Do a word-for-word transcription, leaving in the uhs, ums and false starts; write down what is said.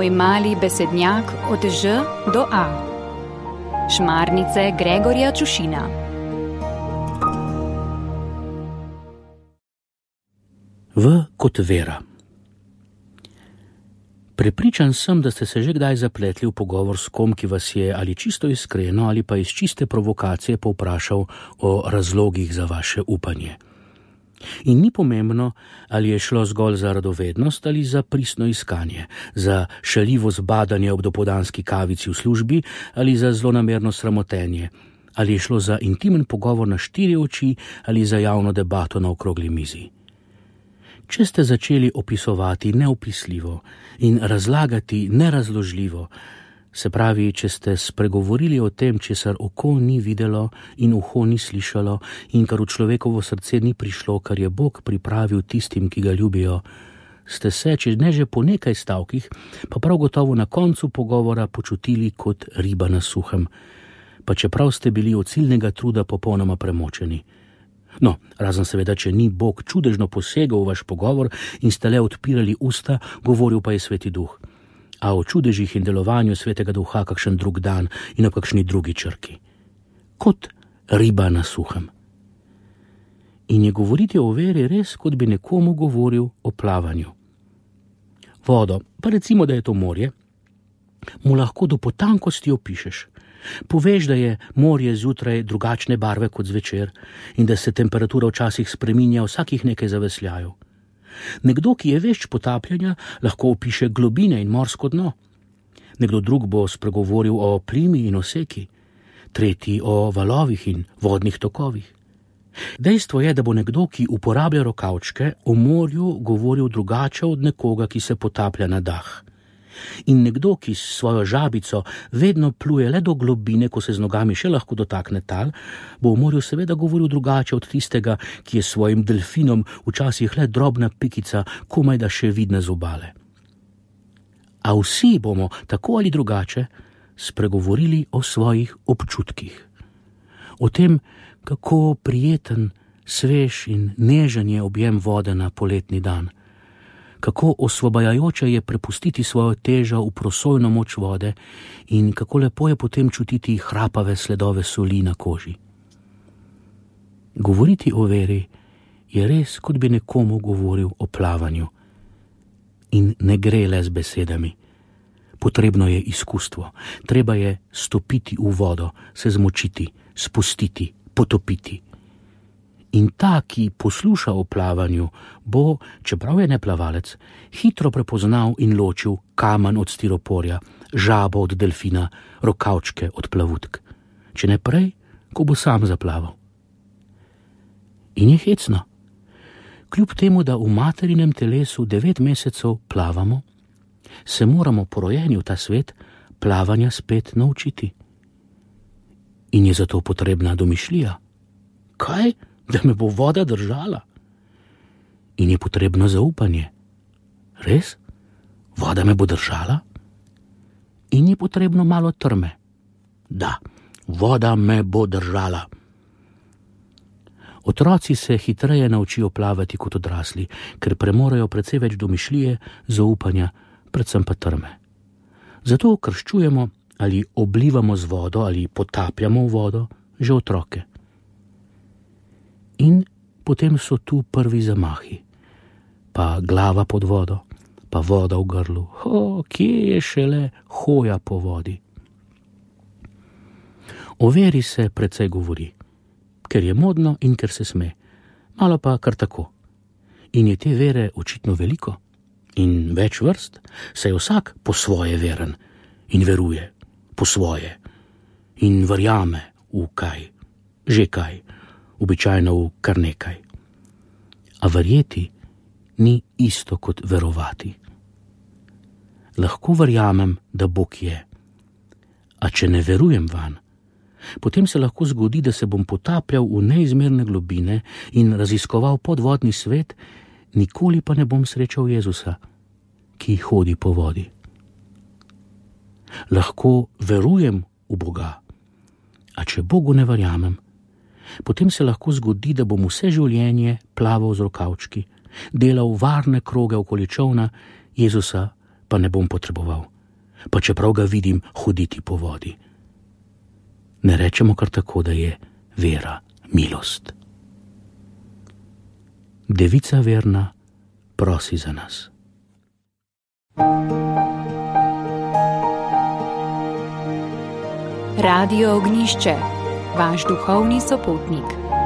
Moj mali besednjak od Ž do A. Šmarnice Gregorja Čušina. V kot vera. Prepričan sem, da ste se že kdaj zapletli v pogovor s kom, ki vas je ali čisto iskreno ali pa iz čiste provokacije povprašal o razlogih za vaše upanje. In ni pomembno, ali je šlo zgolj za radovednost ali za pristno iskanje, za šaljivo zbadanje ob dopoldanski kavici v službi ali za zlonamerno sramotenje, ali je šlo za intimen pogovor na štiri oči ali za javno debato na okrogli mizi. Če ste začeli opisovati neopisljivo in razlagati nerazložljivo, se pravi, če ste spregovorili o tem, česar oko ni videlo in uho ni slišalo in kar v človekovo srce ni prišlo, kar je Bog pripravil tistim, ki ga ljubijo, ste se, če ne že po nekaj stavkih, pa prav gotovo na koncu pogovora počutili kot riba na suhem, pa čeprav ste bili od ciljnega truda popolnoma premočeni. No, razen seveda, če ni Bog čudežno posegal v vaš pogovor in ste le odpirali usta, govoril pa je Sveti Duh. A o čudežih in delovanju Svetega Duha kakšen drug dan in o kakšni drugi črki. Kot riba na suhem. In je govoriti o veri res, kot bi nekomu govoril o plavanju. Vodo, pa recimo, da je to morje, mu lahko do potankosti opišeš. Poveš, da je morje zjutraj drugačne barve kot zvečer in da se temperatura včasih spreminja vsakih nekaj zavesljajev. Nekdo, ki je vešč potapljanja, lahko opiše globine in morsko dno. Nekdo drug bo spregovoril o plimi in oseki, tretji o valovih in vodnih tokovih. Dejstvo je, da bo nekdo, ki uporablja rokavčke, o morju govoril drugače od nekoga, ki se potaplja na dah. In nekdo, ki s svojo žabico vedno pluje le do globine, ko se z nogami še lahko dotakne tal, bo o morju seveda govoril drugače od tistega, ki je svojim delfinom včasih le drobna pikica, komaj da še vidne z obale. A vsi bomo, tako ali drugače, spregovorili o svojih občutkih. O tem, kako prijeten, svež in nežen je objem vode na poletni dan. Kako osvobajajoče je prepustiti svojo težo v prosojno moč vode in kako lepo je potem čutiti hrapave sledove soli na koži. Govoriti o veri je res, kot bi nekomu govoril o plavanju. In ne gre le z besedami. Potrebno je izkustvo. Treba je stopiti v vodo, se zmočiti, spustiti, potopiti. In ta, ki posluša o plavanju, bo, čeprav je neplavalec, hitro prepoznal in ločil kamen od stiroporja, žabo od delfina, rokavčke od plavutk. Če ne prej, ko bo sam zaplaval. In je hecno. Kljub temu, da v materinem telesu devet mesecev plavamo, se moramo po rojenju v ta svet plavanja spet naučiti. In je zato potrebna domišljija. Kaj? Da me bo voda držala. In je potrebno zaupanje. Res? Voda me bo držala? In je potrebno malo trme. Da, voda me bo držala. Otroci se hitreje naučijo plavati kot odrasli, ker premorejo precej več domišljije, zaupanja, predvsem pa trme. Zato krščujemo ali oblivamo z vodo ali potapljamo v vodo že otroke. In potem so tu prvi zamahi, pa glava pod vodo, pa voda v grlu. Ho, kje je šele hoja po vodi? O veri se precej govori, ker je modno in ker se sme, malo pa kar tako. In je te vere očitno veliko in več vrst, saj vsak po svoje veren in veruje po svoje in verjame v kaj, že kaj. Običajno v kar nekaj. A verjeti ni isto kot verovati. Lahko verjamem, da Bog je. A če ne verujem vanj, potem se lahko zgodi, da se bom potapljal v neizmerne globine in raziskoval podvodni svet, nikoli pa ne bom srečal Jezusa, ki hodi po vodi. Lahko verujem v Boga, a če Bogu ne verjamem, potem se lahko zgodi, da bom vse življenje plaval z rokavčki, delal varne kroge okoli čolna, Jezusa pa ne bom potreboval, pa čeprav ga vidim hoditi po vodi. Ne rečemo kar tako, da je vera milost. Devica verna prosi za nas. Radio Ognišče, vaš duhovni sopotnik.